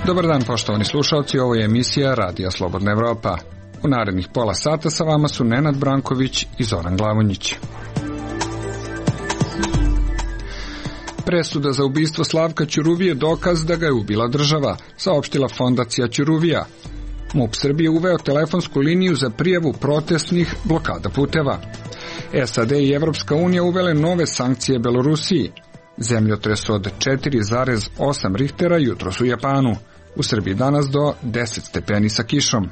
Dobar dan, poštovani slušalci, ovo je emisija Radija Slobodna Evropa. U narednih pola sata sa vama su Nenad Branković i Zoran Glavonjić. Presuda za ubistvo Slavka Ćuruvije dokaz da ga je ubila država, saopštila Fondacija Ćuruvija. MUP Srbije uveo telefonsku liniju za prijavu protestnih blokada puteva. SAD i Evropska unija uvele nove sankcije Belorusiji. Zemljotres od 4,8 Richtera jutros u Japanu. U Srbiji danas do 10 stepeni sa kišom.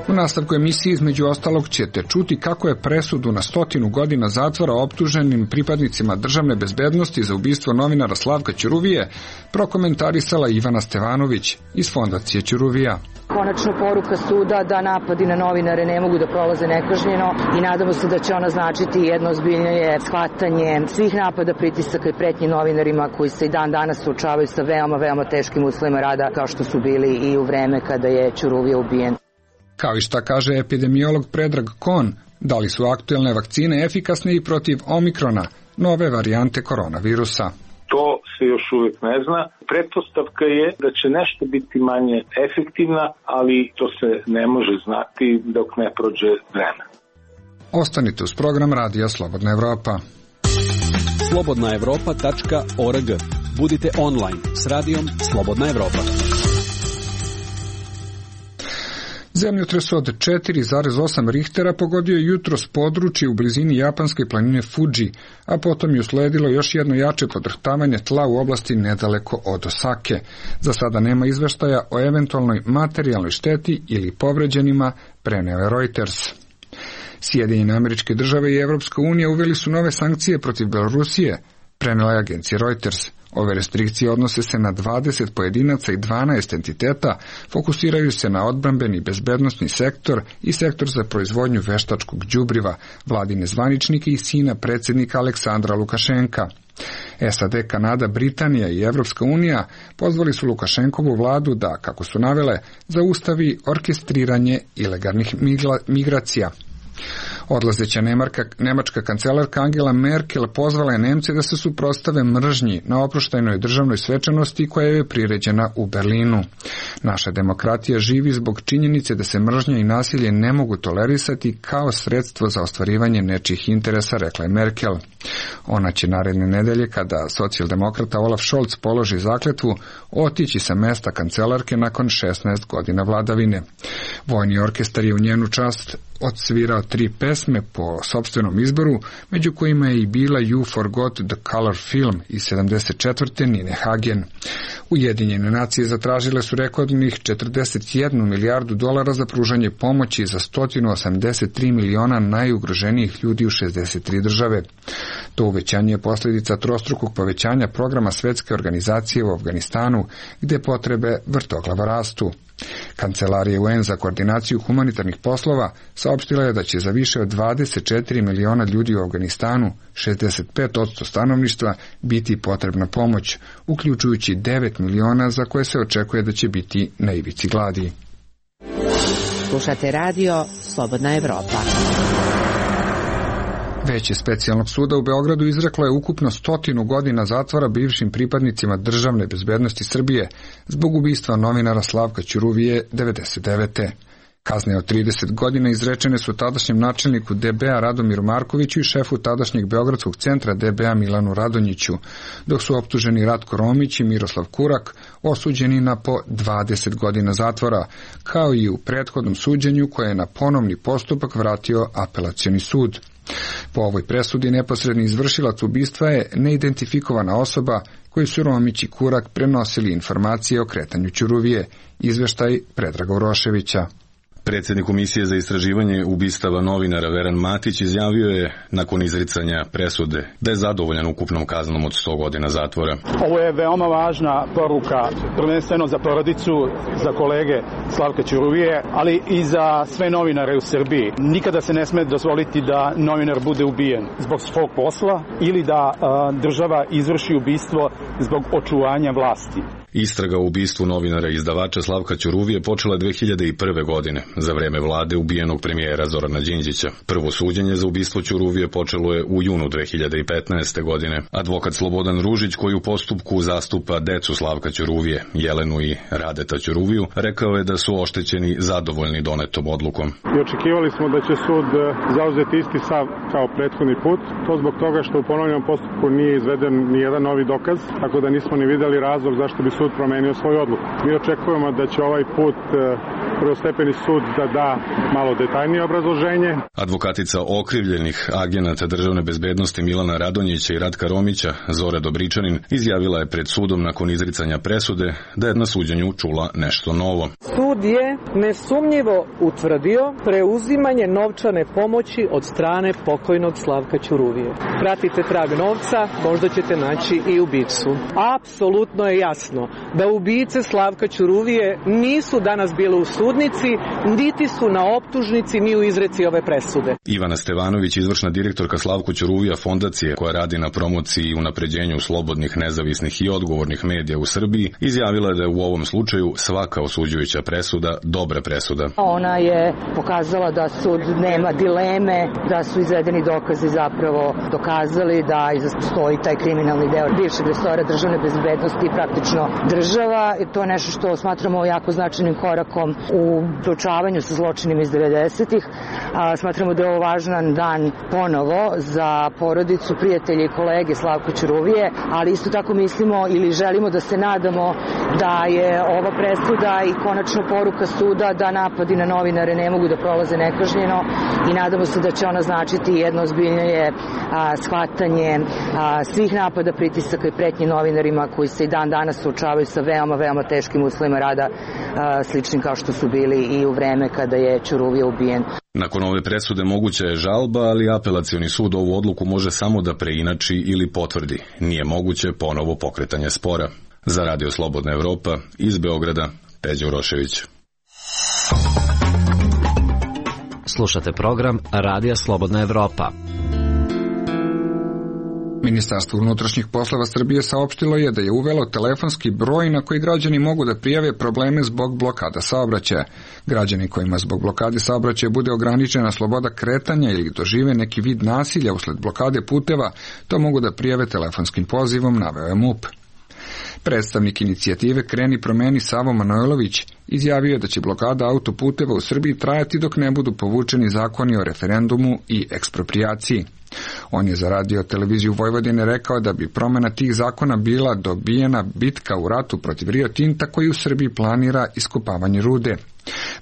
U nastavku emisije između ostalog ćete čuti kako je presudu na 100 godina zatvora optuženim pripadnicima državne bezbednosti za ubistvo novinara Slavka Ćuruvije prokomentarisala Ivana Stevanović iz Fondacije Ćuruvija. Konačno poruka suda da napadi na novinare ne mogu da prolaze nekažnjeno i nadamo se da će ona značiti jedno ozbiljnije shvatanje svih napada, pritisaka i pretnji novinarima koji se i dan danas suočavaju sa veoma teškim uslovima rada kao što su bili i u vreme kada je Ćuruvija ubijen. Kao i šta kaže epidemiolog Predrag Kon, da li su aktuelne vakcine efikasne i protiv omikrona, nove varijante koronavirusa. To se još uvijek ne zna. Pretpostavka je da će nešto biti manje efektivna, ali to se ne može znati dok ne prođe vreme. Ostanite uz program Radija Slobodna Evropa. slobodnaevropa.org. Budite online s radijom Slobodna Evropa. Zemljotres od 4,8 Richtera pogodio je jutros područje u blizini japanske planine Fuji, a potom je usledilo još jedno jače podrhtavanje tla u oblasti nedaleko od Osake. Za sada nema izveštaja o eventualnoj materijalnoj šteti ili povređenima, preneo je Reuters. Sjedinjene Američke Države i Evropska unija uveli su nove sankcije protiv Belorusije, prenela je agencija Reuters. Ove restrikcije odnose se na 20 pojedinaca i 12 entiteta, fokusiraju se na odbrambeni bezbednosni sektor i sektor za proizvodnju veštačkog đubriva, vladine zvaničnike i sina predsjednika Aleksandra Lukašenka. SAD, Kanada, Britanija i Evropska unija pozvali su Lukašenkovu vladu da, kako su navele, zaustavi orkestriranje ilegalnih migracija. Odlazeća nemačka kancelarka Angela Merkel pozvala je Nemce da se suprotstave mržnji na oproštajnoj državnoj svečanosti koja je priređena u Berlinu. Naša demokratija živi zbog činjenice da se mržnja i nasilje ne mogu tolerisati kao sredstvo za ostvarivanje nečijih interesa, rekla je Merkel. Ona će naredne nedelje, kada socijaldemokrata Olaf Scholz položi zakletvu, otići sa mesta kancelarke nakon 16 godina vladavine. Vojni orkestar je u njenu čast odsvirao 3 pesme po sopstvenom izboru, među kojima je i bila You Forgot the Color film iz 74. Nine Hagen. Ujedinjene nacije zatražile su rekordnih 41 milijardu dolara za pružanje pomoći za 183 miliona najugroženijih ljudi u 63 države. To uvećanje je posljedica trostrukog povećanja programa Svetske organizacije u Afganistanu, gde potrebe vrtoglavo rastu. Kancelarija UN za koordinaciju humanitarnih poslova saopštila je da će za više od 24 miliona ljudi u Afganistanu, 65% stanovništva, biti potrebna pomoć, uključujući 9 miliona za koje se očekuje da će biti na ivici gladi. Slušate radio Slobodna Evropa. Veće specijalnog suda u Beogradu izreklo je ukupno 100 godina zatvora bivšim pripadnicima državne bezbednosti Srbije zbog ubistva novinara Slavka Ćuruvije 99. Kazne od 30 godina izrečene su tadašnjem načelniku DB-a Radomiru Markoviću i šefu tadašnjeg Beogradskog centra DB-a Milanu Radonjiću, dok su optuženi Ratko Romić i Miroslav Kurak osuđeni na po 20 godina zatvora, kao i u prethodnom suđenju koje je na ponovni postupak vratio apelacioni sud. Po ovoj presudi neposredni izvršilac ubistva je neidentifikovana osoba koju su Romić i Kurak prenosili informacije o kretanju Ćuruvije, izveštaj Predraga Uroševića. Predsjednik Komisije za istraživanje ubistava novinara Veran Matić izjavio je nakon izricanja presude da je zadovoljan ukupnom kaznom od 100 godina zatvora. Ovo je veoma važna poruka, prvenstveno za porodicu, za kolege Slavka Ćuruvije, ali i za sve novinare u Srbiji. Nikada se ne sme dozvoliti da novinar bude ubijen zbog svog posla ili da država izvrši ubistvo zbog očuvanja vlasti. Istraga o ubistvu novinara i izdavača Slavka Ćuruvije počela 2001. godine, za vreme vlade ubijenog premijera Zorana Đinđića. Prvo suđenje za ubistvo Ćuruvije počelo je u junu 2015. godine. Advokat Slobodan Ružić, koji u postupku zastupa decu Slavka Ćuruvije, Jelenu i Radeta Ćuruviju, rekao je da su oštećeni zadovoljni donetom odlukom. I očekivali smo da će sud zauzeti isti stav kao prethodni put. To zbog toga što u ponovljenom postupku nije izveden ni jedan novi dokaz, tako da nismo ni videli razlog zašto bi sud promenio svoju odluku. Mi očekujemo da će ovaj put prvostepeni sud da malo detaljnije obrazloženje. Advokatica okrivljenih agenata državne bezbednosti Milana Radonjića i Ratka Romića, Zora Dobričanin, izjavila je pred sudom nakon izricanja presude da je na suđenju čula nešto novo. Sud je nesumnjivo utvrdio preuzimanje novčane pomoći od strane pokojnog Slavka Ćuruvije. Pratite trag novca, možda ćete naći i ubicu. Apsolutno je jasno da ubice Slavka Ćuruvije nisu danas bile u sudnici, niti su na optužnici ni u izreci ove presude. Ivana Stevanović, izvršna direktorka Slavko Ćuruvija fondacije koja radi na promociji i unapređenju slobodnih, nezavisnih i odgovornih medija u Srbiji, izjavila je da je u ovom slučaju svaka osuđujuća presuda dobra presuda. Ona je pokazala da sud nema dileme, da su izvedeni dokazi zapravo dokazali da stoji taj kriminalni deo bivšeg resora državne bezbednosti i praktično država. To je nešto što smatramo jako značajnim korakom u suočavanju sa zločinima iz 90-ih. Smatramo da je ovo važan dan ponovo za porodicu, prijatelje i kolege Slavka Ćuruvije, ali isto tako mislimo ili želimo da se nadamo da je ova presuda i konačno poruka suda da napadi na novinare ne mogu da prolaze nekažnjeno i nadamo se da će ona značiti jedno ozbiljnije shvatanje svih napada, pritisaka i pretnji novinarima koji se i dan danas suočavaju sa veoma teškim uslovima rada, sličnim kao što su bili i u vreme kada je Ćuruvija ubijen. Nakon ove presude moguća je žalba, ali apelacioni sud ovu odluku može samo da preinači ili potvrdi. Nije moguće ponovo pokretanje spora. Za Radio Slobodna Evropa, iz Beograda, Peđa Urošević. Slušate program Radija Slobodna Evropa. Ministarstvo unutrašnjih poslova Srbije saopštilo je da je uvelo telefonski broj na koji građani mogu da prijave probleme zbog blokada saobraćaja. Građani kojima zbog blokade saobraćaja bude ograničena sloboda kretanja ili dožive neki vid nasilja usled blokade puteva, to mogu da prijave telefonskim pozivom, naveo je MUP. Predstavnik inicijative Kreni promeni Savo Manojlović izjavio je da će blokada autoputeva u Srbiji trajati dok ne budu povučeni zakoni o referendumu i eksproprijaciji. On je za Radio televiziju Vojvodine rekao da bi promena tih zakona bila dobijena bitka u ratu protiv Rio Tinta koji u Srbiji planira iskopavanje rude.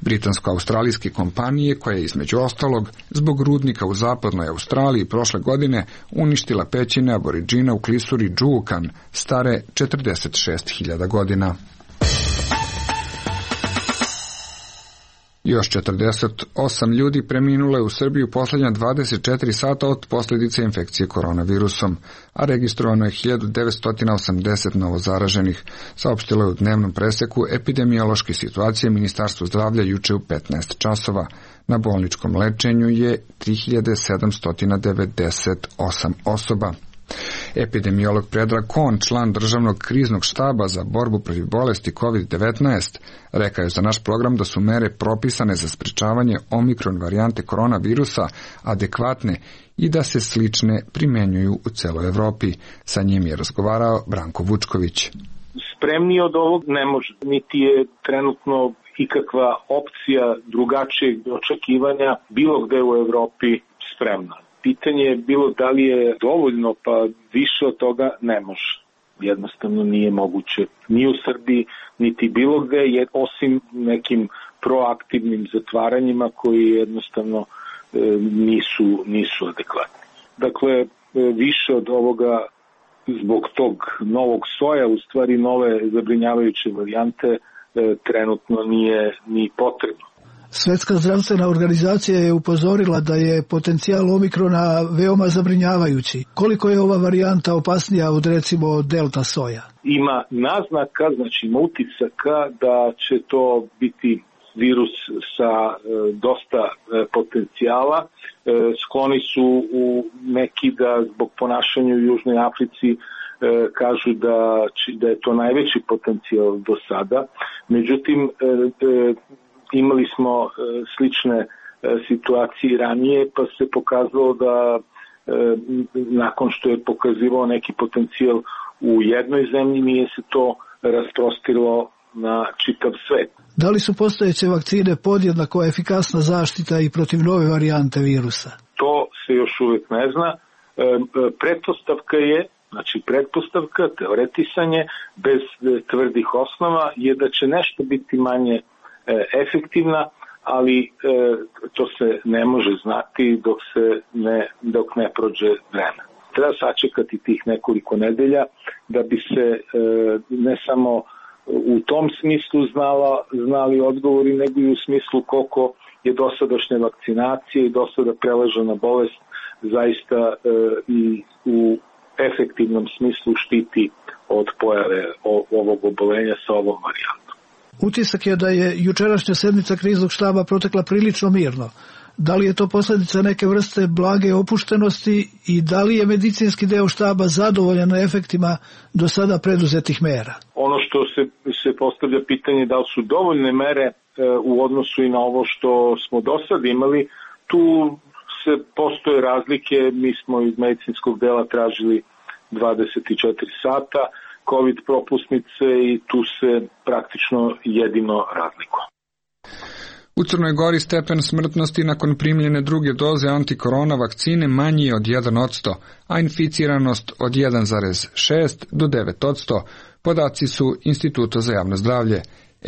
Britansko-australijske kompanije koja je između ostalog zbog rudnika u zapadnoj Australiji prošle godine uništila pećine aboriđina u klisuri Džuukan, stare 46.000 godina. Još 48 ljudi preminulo je u Srbiji u posljednja 24 sata od posljedice infekcije koronavirusom, a registrovano je 1980 novozaraženih, saopštilo je u dnevnom preseku epidemiološke situacije Ministarstvo zdravlja juče u 15 časova. Na bolničkom lečenju je 3798 osoba. Epidemiolog Predrag Kon, član državnog kriznog štaba za borbu protiv bolesti COVID-19, rekao je za naš program da su mere propisane za sprečavanje omikron varijante koronavirusa adekvatne i da se slične primenjuju u celoj Evropi. Sa njim je razgovarao Branko Vučković. Spremniji od ovog ne može, niti je trenutno ikakva opcija drugačijeg očekivanja bilo gde u Evropi spremna. Pitanje je bilo da li je dovoljno, pa više od toga ne može. Jednostavno nije moguće ni u Srbiji, niti bilo gde, osim nekim proaktivnim zatvaranjima koji jednostavno nisu adekvatni. Dakle, više od ovoga zbog tog novog soja, u stvari nove zabrinjavajuće varijante, trenutno nije ni potrebno. Svetska zdravstvena organizacija je upozorila da je potencijal omikrona veoma zabrinjavajući. Koliko je ova varijanta opasnija od recimo delta soja? Ima naznaka, znači ima utisaka da će to biti virus sa dosta potencijala. Skloni su u neki da zbog ponašanja u Južnoj Africi kažu da je to najveći potencijal do sada. Međutim, imali smo slične situacije ranije, pa se pokazalo da nakon što je pokazivao neki potencijal u jednoj zemlji, nije se to rasprostilo na čitav svet. Da li su postojeće vakcine podjednako efikasna zaštita i protiv nove varijante virusa? To se još uvijek ne zna. Pretpostavka, teoretisanje, bez tvrdih osnova je da će nešto biti manje efektivna, ali to se ne može znati dok ne prođe vreme. Treba sačekati tih nekoliko nedelja da bi se ne samo u tom smislu znali odgovori, nego i u smislu koliko je dosadašnja vakcinacija i dosada prelažena bolest zaista i u efektivnom smislu štiti od pojave ovog obolenja sa ovom varijantom. Utisak je da je jučerašnja sednica kriznog štaba protekla prilično mirno. Da li je to posljedica neke vrste blage opuštenosti i da li je medicinski deo štaba zadovoljan efektima do sada preduzetih mera? Ono što se postavlja pitanje da li su dovoljne mere u odnosu i na ovo što smo do sad imali, tu postoje razlike. Mi smo iz medicinskog dela tražili 24 sata COVID propusnice i tu se praktično jedino razlikuje. U Crnoj Gori stepen smrtnosti nakon primljene druge doze antikorona vakcine manji je od 1%, a inficiranost od 1,6 do 9%. Podaci su Instituta za javno zdravlje.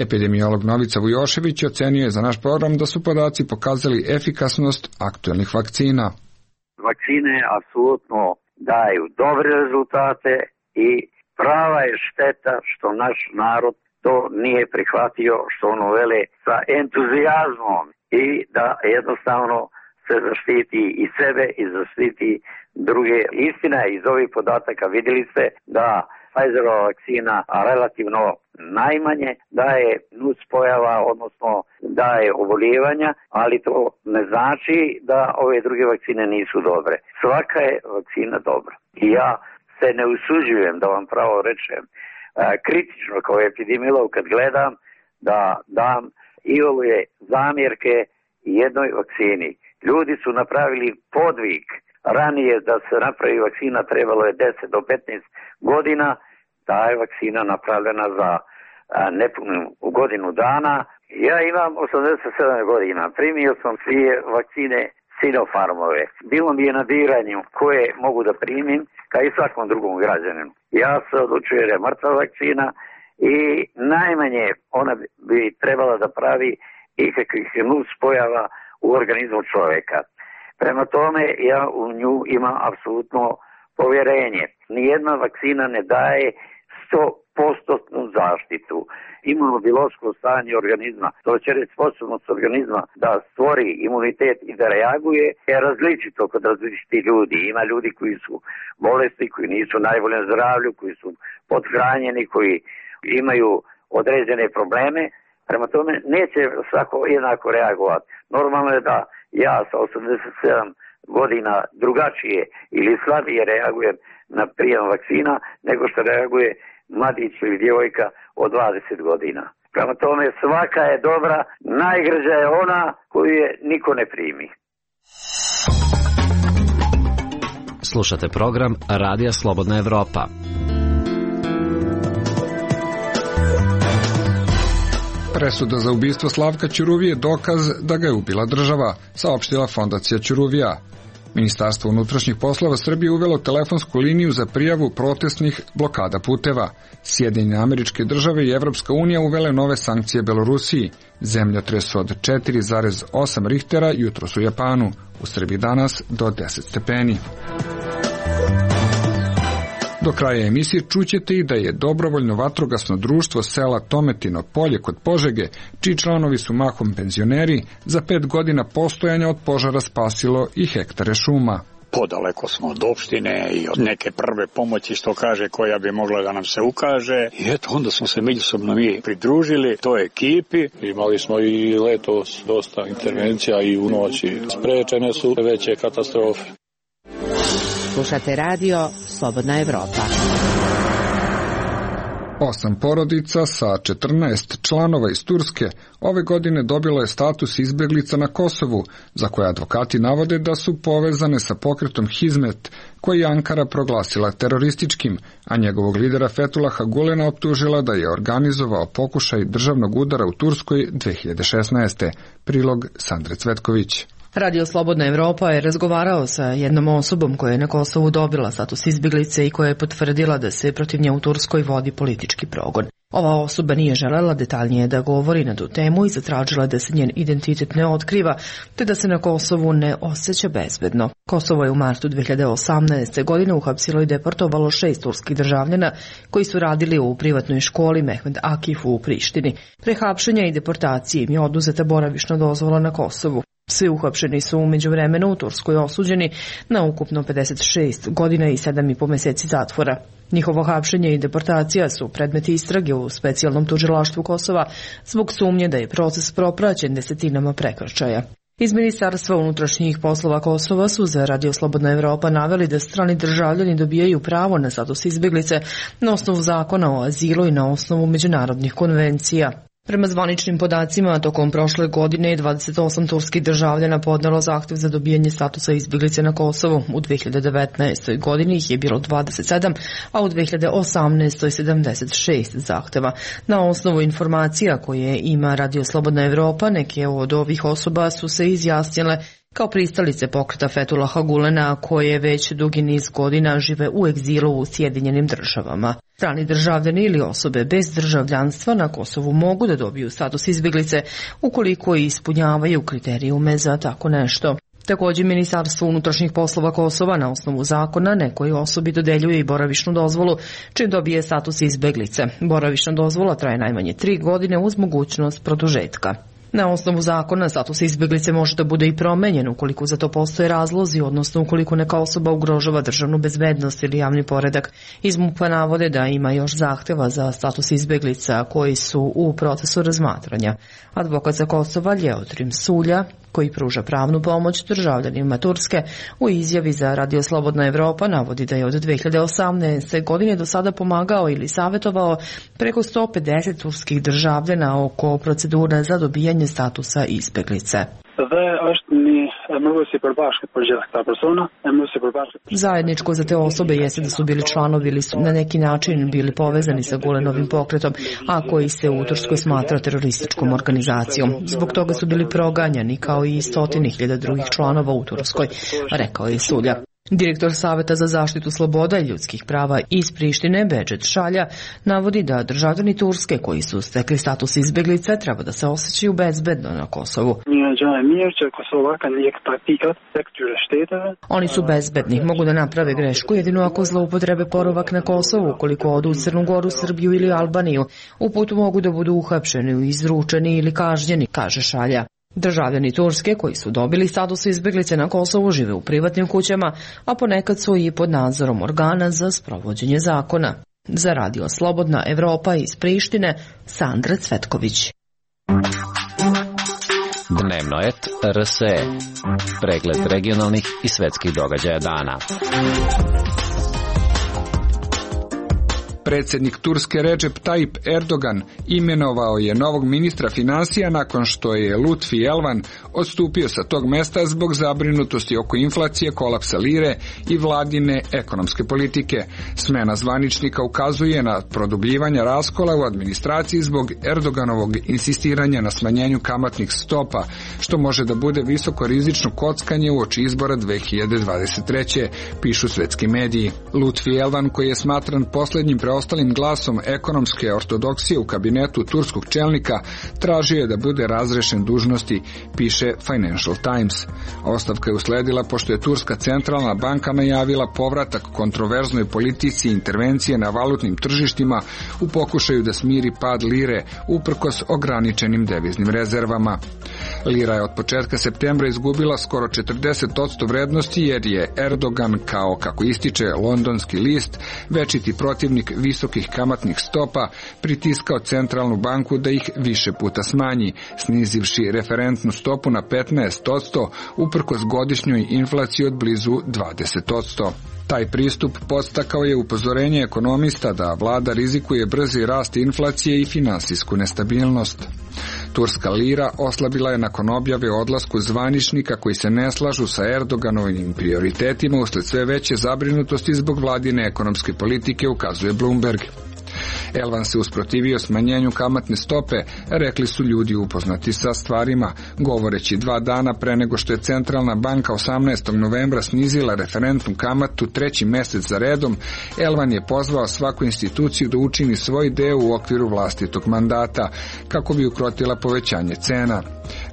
Epidemiolog Novica Vujošević ocenio je za naš program da su podaci pokazali efikasnost aktuelnih vakcina. Vakcine apsolutno daju dobre rezultate i prava je šteta što naš narod to nije prihvatio, što ono vele sa entuzijazmom i da jednostavno se zaštiti i sebe i zaštiti druge. Istina je iz ovih podataka, vidjeli ste da Pfizerova vakcina relativno najmanje daje nuspojava, odnosno daje oboljevanja, ali to ne znači da ove druge vakcine nisu dobre. Svaka je vakcina dobra. I ja se ne usuđujem da vam pravo rečem kritično kao epidemiolog kad gledam da dam iole zamjerke jednoj vakcini. Ljudi su napravili podvig. Ranije da se napravi vakcina trebalo je 10 do 15 godina. Ta je vakcina napravljena za nepunu godinu dana. Ja imam 87 godina. Primio sam svije vakcine Sinopharmove. Bilo mi je na biranju koje mogu da primim, kao i svakom drugom građaninu. Ja se odlučujem jer je mrtva vakcina i najmanje ona bi trebala da pravi ikakvih nuspojava u organizmu čovjeka. Prema tome ja u nju imam apsolutno povjerenje. Nijedna vakcina ne daje 100% zaštitu. Imunobiološko stanje organizma, to će reći sposobnost organizma da stvori imunitet i da reaguje, je različito kod različitih ljudi. Ima ljudi koji su bolesti, koji nisu najboljem zdravlju, koji su pothranjeni, koji imaju određene probleme. Prema tome neće svako jednako reagovati. Normalno je da ja sa 87 godina drugačije ili slabije reagujem na prijem vakcina nego što reaguje mladić ili djevojka od 20 godina. Prema tome svaka je dobra, najgrđa je ona koju je niko ne primi. Slušate program Radija Slobodna Evropa. Presuda za ubistvo Slavka Ćuruvije je dokaz da ga je ubila država, saopštila Fondacija Ćuruvija. Ministarstvo unutrašnjih poslova Srbije uvelo telefonsku liniju za prijavu protestnih blokada puteva. Sjedinjene Američke Države i Evropska unija uvele nove sankcije Belorusiji. Zemljotres od 4,8 Richtera jutros u Japanu. U Srbiji danas do 10 stepeni. Do kraja emisije čućete i da je dobrovoljno vatrogasno društvo sela Tometino Polje kod Požege, čiji članovi su mahom penzioneri, za 5 godina postojanja od požara spasilo i hektare šuma. podaleko smo od opštine i od neke prve pomoći, što kaže, koja bi mogla da nam se ukaže. I eto, onda smo se međusobno mi pridružili toj ekipi. Imali smo i letos dosta intervencija i u noći. Sprečene su veće katastrofe. Slušate radio Slobodna Evropa. 8 porodica sa 14 članova iz Turske ove godine dobilo je status izbeglica na Kosovu, za koje advokati navode da su povezane sa pokretom Hizmet, koji je Ankara proglasila terorističkim, a njegovog lidera Fethullaha Gulena optužila da je organizovao pokušaj državnog udara u Turskoj 2016. Prilog Sandre Cvetković. Radio Slobodna Evropa je razgovarao sa jednom osobom koja je na Kosovu dobila status izbjeglice i koja je potvrdila da se protiv nje u Turskoj vodi politički progon. Ova osoba nije želela detaljnije da govori na tu temu i zatražila da se njen identitet ne otkriva, te da se na Kosovu ne osjeća bezbedno. Kosovo je u martu 2018. godine uhapsilo i deportovalo 6 turskih državljana koji su radili u privatnoj školi Mehmed Akif u Prištini. Pre hapšenja i deportacije im je oduzeta boravišna dozvola na Kosovu. Svi uhapšeni su u međuvremenu u Turskoj osuđeni na ukupno 56 godina i 7,5 mjeseci zatvora. Njihovo hapšenje i deportacija su predmeti istrage u specijalnom tužilaštvu Kosova zbog sumnje da je proces propraćen desetinama prekršaja. Iz Ministarstva unutrašnjih poslova Kosova su za Radio Slobodna Evropa naveli da strani državljani dobijaju pravo na status izbjeglice na osnovu zakona o azilu i na osnovu međunarodnih konvencija. Prema zvaničnim podacima, tokom prošle godine 28 turskih državljana podnelo zahtev za dobijanje statusa izbjeglice na Kosovu. U 2019. godini ih je bilo 27, a u 2018. 76 zahteva. Na osnovu informacija koje ima Radio Slobodna Evropa, neke od ovih osoba su se izjasnile kao pristalice pokreta Fethullaha Gulena, koje već dugi niz godina žive u egzilu u Sjedinjenim Državama. Strani državljani ili osobe bez državljanstva na Kosovu mogu da dobiju status izbjeglice ukoliko ispunjavaju kriterijume za tako nešto. Također, Ministarstvo unutrašnjih poslova Kosova na osnovu zakona nekoj osobi dodeljuje i boravišnu dozvolu čim dobije status izbjeglice. Boravišna dozvola traje najmanje 3 godine uz mogućnost produžetka. Na osnovu zakona status izbjeglice može da bude i promenjen ukoliko za to postoje razlozi, odnosno ukoliko neka osoba ugrožava državnu bezbednost ili javni poredak. Iz MUP-a navode da ima još zahteva za status izbjeglica koji su u procesu razmatranja. Advokat za Kosova Ljeotrim Sulja, koji pruža pravnu pomoć državljanima Turske, u izjavi za Radio Slobodna Evropa navodi da je od 2018. godine do sada pomagao ili savjetovao preko 150 turskih državljana oko procedura za dobijanje statusa izbjeglice. Zajedničko za te osobe jeste da su bili članovi ili su na neki način bili povezani sa Gulenovim pokretom, a koji se u Turskoj smatra terorističkom organizacijom. Zbog toga su bili proganjani kao i 100.000 drugih članova u Turskoj, rekao je Sulja. Direktor Saveta za zaštitu sloboda i ljudskih prava iz Prištine, Bedžet Šalja, navodi da državljani Turske koji su stekli status izbjeglice treba da se osjećaju bezbedno na Kosovu. Oni su bezbedni, mogu da naprave grešku jedino ako zloupotrebe boravak na Kosovu, ukoliko odu u Crnu Goru, Srbiju ili Albaniju. U putu mogu da budu uhapšeni, izručeni ili kažnjeni, kaže Šalja. Državljani Turske koji su dobili status izbjeglice na Kosovu žive u privatnim kućama, a ponekad su i pod nadzorom organa za sprovođenje zakona. Za Radio Slobodna Evropa iz Prištine, Sandra Cvetković. Dnevno et RSE. Pregled regionalnih i svetskih događaja dana. Predsjednik Turske Recep Tayyip Erdogan imenovao je novog ministra financija nakon što je Lutfi Elvan odstupio sa tog mesta zbog zabrinutosti oko inflacije, kolapsa lire i vladine ekonomske politike. Smena zvaničnika ukazuje na produbljivanje raskola u administraciji zbog Erdoganovog insistiranja na smanjenju kamatnih stopa, što može da bude visoko rizično kockanje uoči izbora 2023. pišu svetski mediji. Lutfi Elvan, koji je smatran posljednjim preostalim glasom ekonomske ortodoksije u kabinetu turskog čelnika, tražio je da bude razrešen dužnosti, piše Financial Times. Ostavka je usledila pošto je Turska centralna banka najavila povratak kontroverznoj politici intervencije na valutnim tržištima u pokušaju da smiri pad lire uprkos ograničenim deviznim rezervama. Lira je od početka septembra izgubila skoro 40% vrednosti jer je Erdogan, kao kako ističe londonski list, večiti protivnik visokih kamatnih stopa, pritiskao centralnu banku da ih više puta smanji, snizivši referentnu stopu na 15%, uprkos godišnjoj inflaciji od blizu 20%. Taj pristup podstakao je upozorenje ekonomista da vlada rizikuje brzi rast inflacije i finansijsku nestabilnost. Turska lira oslabila je nakon objave o odlasku zvaničnika koji se ne slažu sa Erdoganovim prioritetima usled sve veće zabrinutosti zbog vladine ekonomske politike, ukazuje Bloomberg. Elvan se usprotivio smanjenju kamatne stope, rekli su ljudi upoznati sa stvarima, govoreći 2 dana pre nego što je centralna banka 18. novembra snizila referentnu kamatu 3. mesec za redom. Elvan je pozvao svaku instituciju da učini svoj deo u okviru vlastitog mandata, kako bi ukrotila povećanje cena.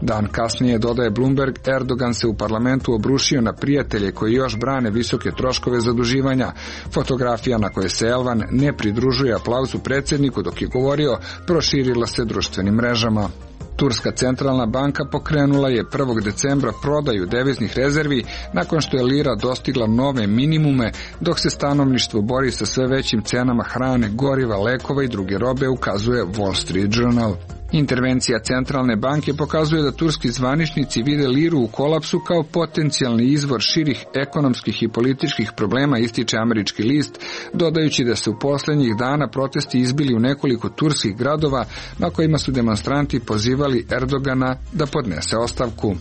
Dan kasnije, dodaje Bloomberg, Erdogan se u parlamentu obrušio na prijatelje koji još brane visoke troškove zaduživanja. Fotografija na kojoj se Elvan ne pridružuje aplauzu predsjedniku dok je govorio proširila se društvenim mrežama. Turska centralna banka pokrenula je 1. decembra prodaju deviznih rezervi nakon što je lira dostigla nove minimume, dok se stanovništvo bori sa sve većim cenama hrane, goriva, lekova i druge robe, ukazuje Wall Street Journal. Intervencija centralne banke pokazuje da turski zvaničnici vide liru u kolapsu kao potencijalni izvor širih ekonomskih i političkih problema, ističe američki list, dodajući da se u posljednjih dana protesti izbili u nekoliko turskih gradova na kojima su demonstranti pozivali Erdogana da podnese ostavku.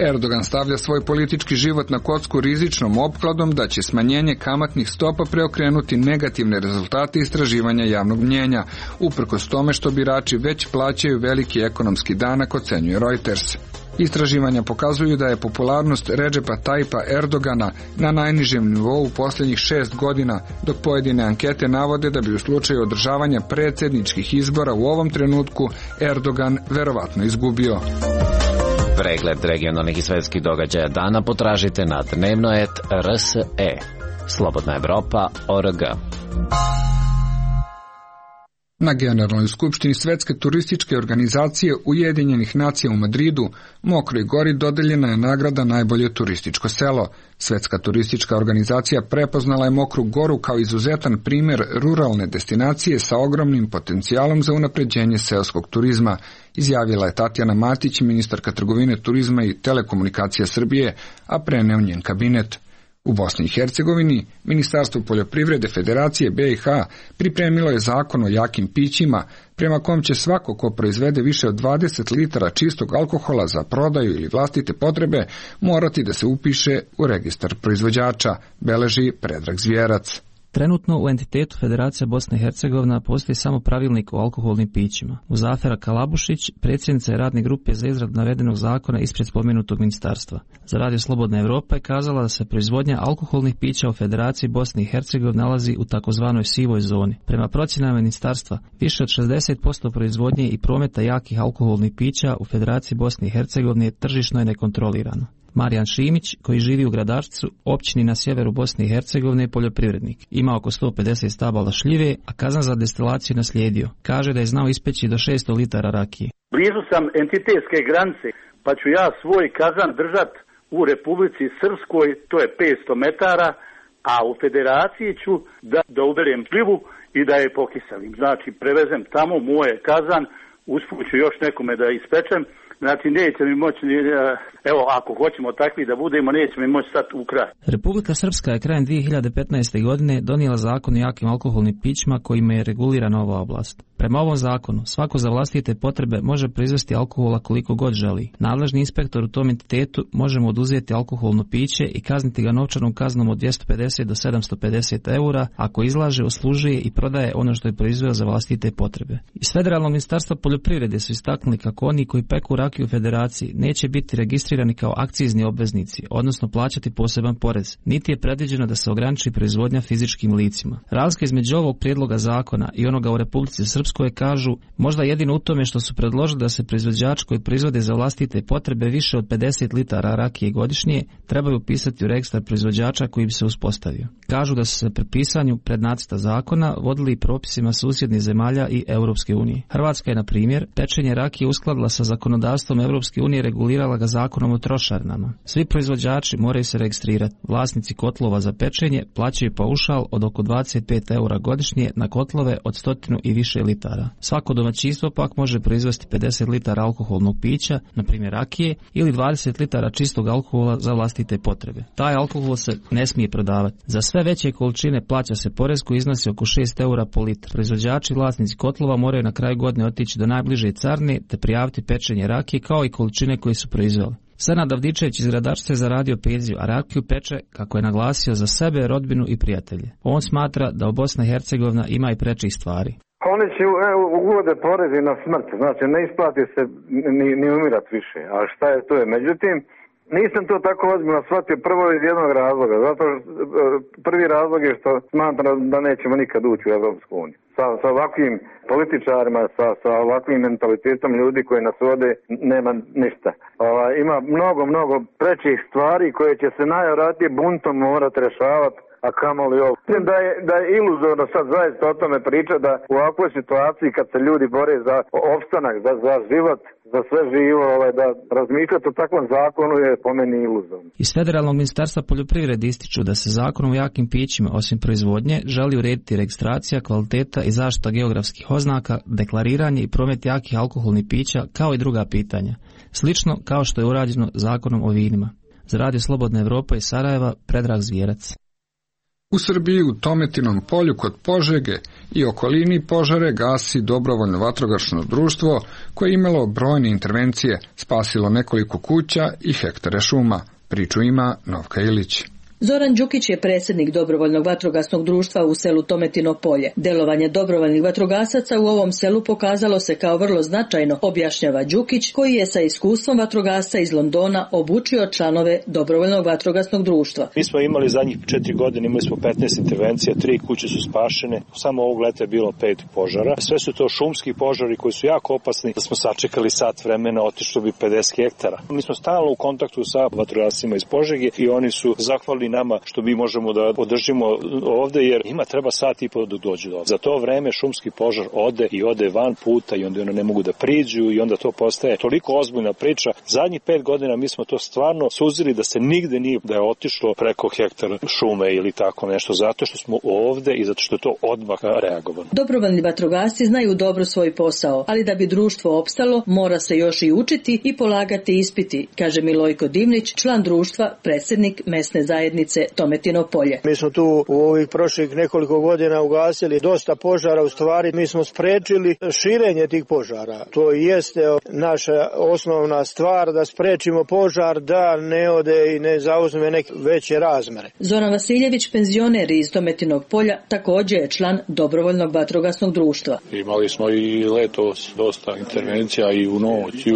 Erdogan stavlja svoj politički život na kocku rizičnom opkladom da će smanjenje kamatnih stopa preokrenuti negativne rezultate istraživanja javnog mnjenja, uprkos tome što birači već plaćaju veliki ekonomski danak, ocenjuje Reuters. Istraživanja pokazuju da je popularnost Redžepa Tayyipa Erdogana na najnižem nivou u posljednjih 6 godina, dok pojedine ankete navode da bi u slučaju održavanja predsjedničkih izbora u ovom trenutku Erdogan verovatno izgubio. Pregled regionalnih i svetskih događaja dana potražite na dnevnoet.rse. Slobodna Evropa.org. Na Generalnoj skupštini Svetske turističke organizacije Ujedinjenih nacija u Madridu Mokroj Gori dodeljena je nagrada Najbolje turističko selo. Svetska turistička organizacija prepoznala je Mokru Goru kao izuzetan primjer ruralne destinacije sa ogromnim potencijalom za unapređenje seoskog turizma, izjavila je Tatjana Matić, ministarka trgovine, turizma i telekomunikacija Srbije, a preneo njen kabinet. U Bosni i Hercegovini, Ministarstvo poljoprivrede Federacije BiH pripremilo je zakon o jakim pićima, prema kom će svako ko proizvede više od 20 litara čistog alkohola za prodaju ili vlastite potrebe morati da se upiše u registar proizvođača, beleži Predrag Zvjerac. Trenutno u entitetu Federacija Bosna i Hercegovina postoji samo pravilnik o alkoholnim pićima. Muzafera Kalabušić, predsjednica je radne grupe za izradu navedenog zakona ispred spomenutog ministarstva. Za Radio Slobodna Evropa je kazala da se proizvodnja alkoholnih pića u Federaciji Bosne i Hercegovine nalazi u takozvanoj sivoj zoni. Prema procjenama ministarstva, više od 60% proizvodnje i prometa jakih alkoholnih pića u Federaciji Bosne i Hercegovine tržišno je nekontrolirano. Marijan Šimić, koji živi u Gradačcu, općini na sjeveru Bosne i Hercegovine, je poljoprivrednik. Ima oko 150 stabala šljive, a kazan za destilaciju naslijedio. Kaže da je znao ispeći do 600 litara rakije. Blizu sam entitetske granice, pa ću ja svoj kazan držat u Republici Srpskoj, to je 500 metara, a u Federaciji ću da uberem šljivu i da je pokiselim. Znači, prevezem tamo moje kazan, usput ću još nekome da ispečem. Znači, neće mi moći, evo, ako hoćemo takvi da budemo, neće mi moći stati u kraj. Republika Srpska je krajem 2015. godine donijela zakon o jakim alkoholnim pićima kojima je regulirana ova oblast. Prema ovom zakonu, svako za vlastite potrebe može proizvesti alkohola koliko god želi. Nadležni inspektor u tom entitetu može mu oduzeti alkoholno piće i kazniti ga novčanom kaznom od 250 do 750 eura ako izlaže, uslužuje i prodaje ono što je proizveo za vlastite potrebe. Iz Federalnog ministarstva poljoprivrede su istaknuli kako oni koji peku rakiju u Federaciji neće biti registrirani kao akcizni obveznici, odnosno plaćati poseban porez, niti je predviđeno da se ograniči proizvodnja fizičkim licima. Razlika između ovog prijedloga zakona i onoga u Republici Srpskoj Srpskoj kažu možda jedino u tome što su predložili da se proizvođači koji proizvode za vlastite potrebe više od 50 litara rakije godišnje trebaju upisati u registar proizvođača koji bi se uspostavio. Kažu da su se pri pisanju prednacrta zakona vodili i propisima susjednih zemalja i Europske unije. Hrvatska je, na primjer, pečenje rakije uskladila sa zakonodavstvom Europske unije, regulirala ga zakonom o trošarinama. Svi proizvođači moraju se registrirati. Vlasnici kotlova za pečenje plaćaju paušal od oko 25 eura godišnje na kotlove od 100 i više litara. Svako domaćinstvo pak može proizvesti 50 litara alkoholnog pića, na primjer rakije, ili 20 litara čistog alkohola za vlastite potrebe. Taj alkohol se ne smije prodavati. Za sve veće količine plaća se porez koji iznosi oko 6 eura po litru. Proizvođači i vlasnici kotlova moraju na kraju godine otići do najbliže carine te prijaviti pečenje rakije kao i količine koje su proizveli. Senad Avdičević iz Gradačca je zaradio penziju, a rakiju peče, kako je naglasio, za sebe, rodbinu i prijatelje. On smatra da u Bosna i Hercegovina ima i prečih stvari. Oni će uvode porezi na smrt, znači ne isplati se ni umirat više, a šta je to je. Međutim, nisam to tako ozbiljno shvatio prvo iz jednog razloga, zato prvi razlog je što smatram da nećemo nikad ući u Evropsku uniju. Sa ovakvim političarima, sa ovakvim mentalitetom ljudi koji nas vode, nema ništa. Ima mnogo prečih stvari koje će se najvjerojatnije buntom morati rješavati, a kamoli ovo. Mislim da je iluzorno sad zaista o tome priča da u ovakvoj situaciji kad se ljudi bore za opstanak, za život, za sve živo, da razmišljati o takvom zakonu je po meni iluzorno. Iz Federalnog ministarstva poljoprivrede ističu da se zakonom o jakim pićima, osim proizvodnje, želi urediti registracija, kvaliteta i zaštita geografskih oznaka, deklariranje i promet jakih alkoholnih pića, kao i druga pitanja. Slično kao što je urađeno zakonom o vinima. Za Radio Slobodna Evropa iz Sarajeva, Predrag Zvijerac. U Srbiji u Tometinom polju kod Požege i okolini požare gasi dobrovoljno vatrogasno društvo koje je imalo brojne intervencije, spasilo nekoliko kuća i hektare šuma. Priču ima Novka Ilić. Zoran Đukić je predsjednik dobrovoljnog vatrogasnog društva u selu Tometino polje. Delovanje dobrovoljnih vatrogasaca u ovom selu pokazalo se kao vrlo značajno, objašnjava Đukić, koji je sa iskustvom vatrogasca iz Londona obučio članove dobrovoljnog vatrogasnog društva. Mi smo imali zadnjih 4 godine, imali smo 15 intervencija, 3 kuće su spašene, samo ovog leta je bilo 5 požara. Sve su to šumski požari koji su jako opasni. Da smo sačekali sat vremena, otišlo bi 50 hektara. Mi smo stalno u kontaktu sa vatrogascima iz Požege i oni su zahvalni nama što mi možemo da podržimo ovde, jer ima treba sat i po da dođu do ovde. Za to vreme šumski požar ode van puta i onda ne mogu da priđu i onda to postaje toliko ozbiljna priča. Zadnjih 5 godina mi smo to stvarno suzili da se nigde nije da je otišlo preko hektara šume ili tako nešto, zato što smo ovde i zato što je to odmah reagovano. Dobrovoljni vatrogasci znaju dobro svoj posao, ali da bi društvo opstalo, mora se još i učiti i polagati ispiti, kaže Milojko Divnić, član društva, predsjednik mesne zajednice Tometino polje. Mi smo tu u ovih prošlih nekoliko godina ugasili dosta požara, u stvari mi smo sprečili širenje tih požara. To jeste naša osnovna stvar, da sprečimo požar da ne ode i ne zauzme neke veće razmere. Zoran Vasiljević, penzioner iz Tometinog polja, također je član dobrovoljnog vatrogasnog društva. Imali smo i letos dosta intervencija i u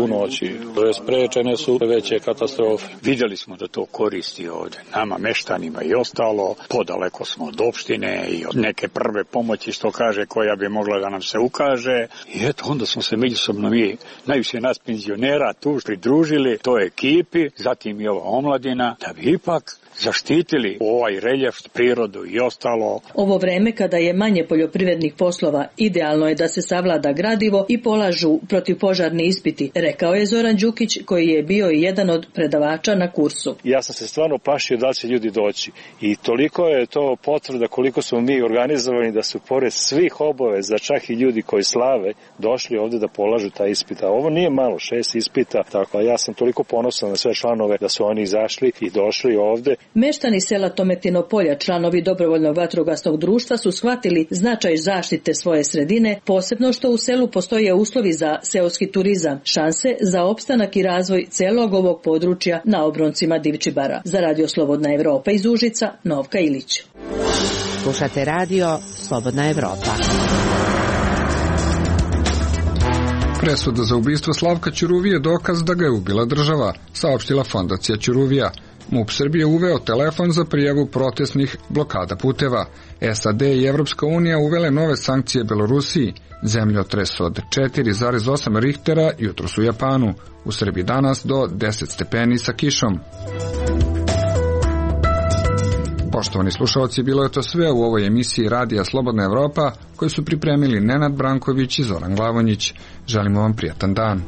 noći. Sprečene su veće katastrofe. Vidjeli smo da to koristi ovde. Nama meštanima i ostalo, podaleko smo od opštine i od neke prve pomoći, što kaže, koja bi mogla da nam se ukaže. I eto, onda smo se međusobno mi, najviše nas penzionera, tu pridružili toj ekipi, zatim i ova omladina, da bi ipak zaštitili ovaj reljef, prirodu i ostalo. Ovo vreme kada je manje poljoprivrednih poslova, idealno je da se savlada gradivo i polažu protivpožarni ispiti, rekao je Zoran Đukić, koji je bio i jedan od predavača na kursu. Ja sam se stvarno plašio da će ljudi doći i toliko je to potvrda koliko smo mi organizovani da su pored svih obaveza, čak i ljudi koji slave, došli ovde da polažu taj ispit. A ovo nije malo, 6 ispita, tako ja sam toliko ponosan na sve članove da su oni izašli i došli ovde. Meštani sela Tometino polja, članovi dobrovoljnog vatrogasnog društva, su shvatili značaj zaštite svoje sredine, posebno što u selu postoje uslovi za seoski turizam, šanse za opstanak i razvoj celog ovog područja na obroncima Divčibara. Za Radio Slobodna Evropa iz Užica, Novka Ilić. Slušate Radio Slobodna Evropa. Presuda za ubistvo Slavka Ćuruvije je dokaz da ga je ubila država, saopštila fondacija Ćuruvija. MUP Srbije uveo telefon za prijavu protestnih blokada puteva. SAD i Evropska unija uvele nove sankcije Belorusiji. Zemljotres od 4,8 Richtera jutros u Japanu. U Srbiji danas do 10 stepeni sa kišom. Poštovani slušalci, bilo je to sve u ovoj emisiji Radija Slobodna Evropa, koju su pripremili Nenad Branković i Zoran Glavonjić. Želimo vam prijatan dan.